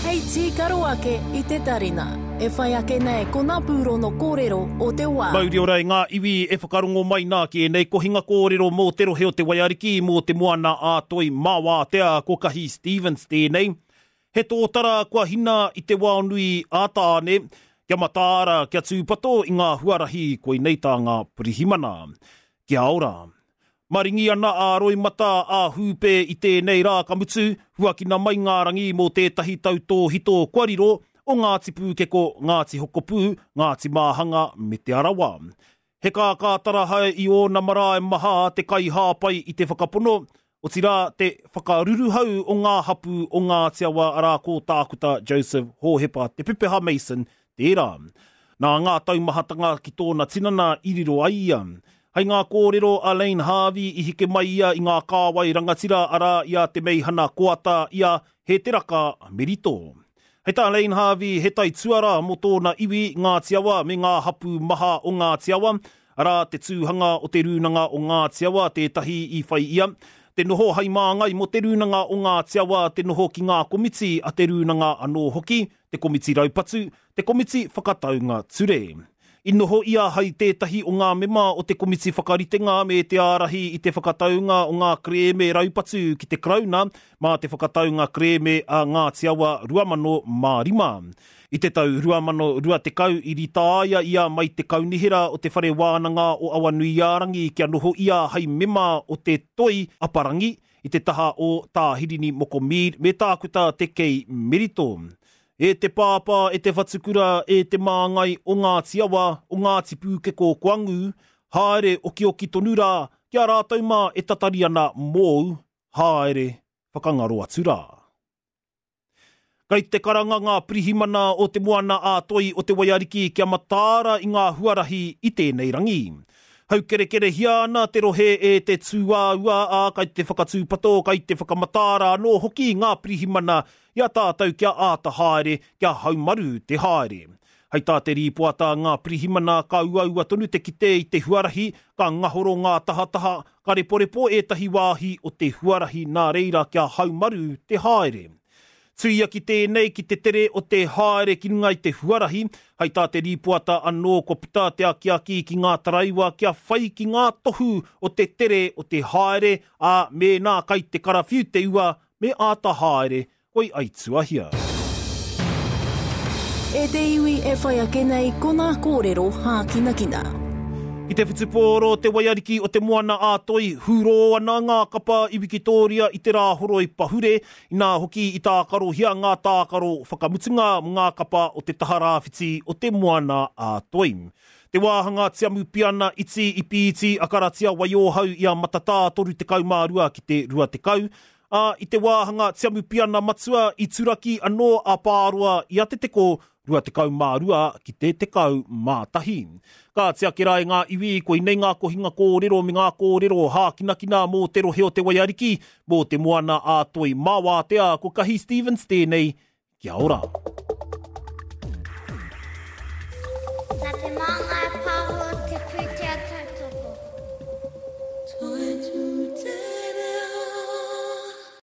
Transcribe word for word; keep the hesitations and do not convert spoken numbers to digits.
Hei tīkaro ake i te tarina. E whai ake nei ko ngā pūrono kōrero o te wā. Mauri ora i ngā iwi e whakarongo mai nā ki ēnei kohinga kōrero mō te rohe o te Waiariki, mō te moana a Toi Māwātea, ko Kahi Stevens tēnei. He tōtara kua hina i te waonui a Tāne, kia mataara, kia tūpato i ngā huarahi koinei tā ngā pirihimana. Kia ora. Maringi ana a Roimata a Hūpē i tēnei rā ka mutu, huakina mai ngā rangi mō tētahi tau tōhito kua riro o Ngāti Pūkeko, Ngāti Hokopū, Ngāti Māhanga me Te Arawa. He kākātarahae i ōna marae maha te kaihāpai i te whakapono, otirā te whakaruruhau o ngā hapū o Ngāti Awa arā ko Tākuta Joseph Hōhepa Te Pepeha Mason tērā. Nā ngā taumahatanga ki tōna tinana i riro ai ia. Hei ngā kōrero a Lane Harvey i hike mai ia i ngā kāwai rangatira arā i a Te Meihana Koata i a Hēteraka Merito. Hei tā Lane Harvey he taituara mō tōna iwi Ngāti Awa me ngā hapū maha o Ngāti Awa, arā te tūhanga o te Rūnanga o Ngāti Awa tētahi i whai ia, te noho hai māngai mō te Rūnanga o Ngāti Awa, te noho ki ngā komiti a te Rūnanga anō hoki, te komiti raupatu, te komiti whakataunga ture. I noho ia hai tētahi o ngā mema o te komiti whakaritenga me te ārahi i te whakataunga o ngā kerēme raupatu ki te Karauna mā te whakataunga kerēme a Ngāti Awa ruamano mā rima. I te tau ruamano rua tekau i ritāia ia mai te kaunihera o te whare wānanga o Awanuiārangi kia noho ia hai mema o te Toi Aparangi i te taha o Tā Hirini Moko Mead me Tākuta Te Kei Merito. E te pāpā, e te whatukura, e te māngai o Ngāti Awa, o Ngāti Pūkeko kua ngū, haere okioki tonu rā, kia rātou mā e tatari ana mōu, haere whakangaro atu rā. Kei te karanga ngā pirihimana o te moana a Toi o te Waiariki kia mataara i ngā huarahi i tēnei rangi. Haukerekerehia ana te rohe e te tūāua ā kai te whakatūpato, kai te whakamataara anō hoki ngā pirihimana i a tātou kia āta haere, kia haumaru te haere. Hei tā te rīpoata ngā pirihimana ka uaua tonu te kite i te huarahi, ka ngahoro ngā tahataha, ka reporepo ētahi wāhi o te huarahi nā reira kia haumaru te haere. Tuia ki tēnei ki te tere o te haere ki runga i te huarahi, hei tā te rīpoata anō kua puta te akiaki ki ngā taraiwa kia whai ki ngā tohu o te tere o te haere, ā mēnā kai te karawhiu te ua me āta haere, koi aituahia. E te iwi e whai ake nei ko ngā kōrero hākinakina. I te whutupōro te Waiariki o te Moana a Toi, hūrō ana ngā kapa i Wikitōria i te rāhoroi pahure, inā hoki i tākarohia ngā tākaro whakamutunga mō ngā kapa o te taha rāwhiti o te Moana a Toi. Te wāhanga tiamupiana iti i pīti a Karatia Waiohau i a Matatā toru tekau mā rua ki te rua tekau, ā, i te wāhanga tiamupiana matua i turaki anō a Pāroa i a Te Teko rua tekau mā rua ki te tekau mā tahi. Ka tiake rā e ngā iwi, koinei ngā kohinga kōrero me ngā kōrero hākinakina mō te rohe o te Waiariki, mō te moana a Toi Māwātea, ko Kahi Stevens tēnei, kia ora.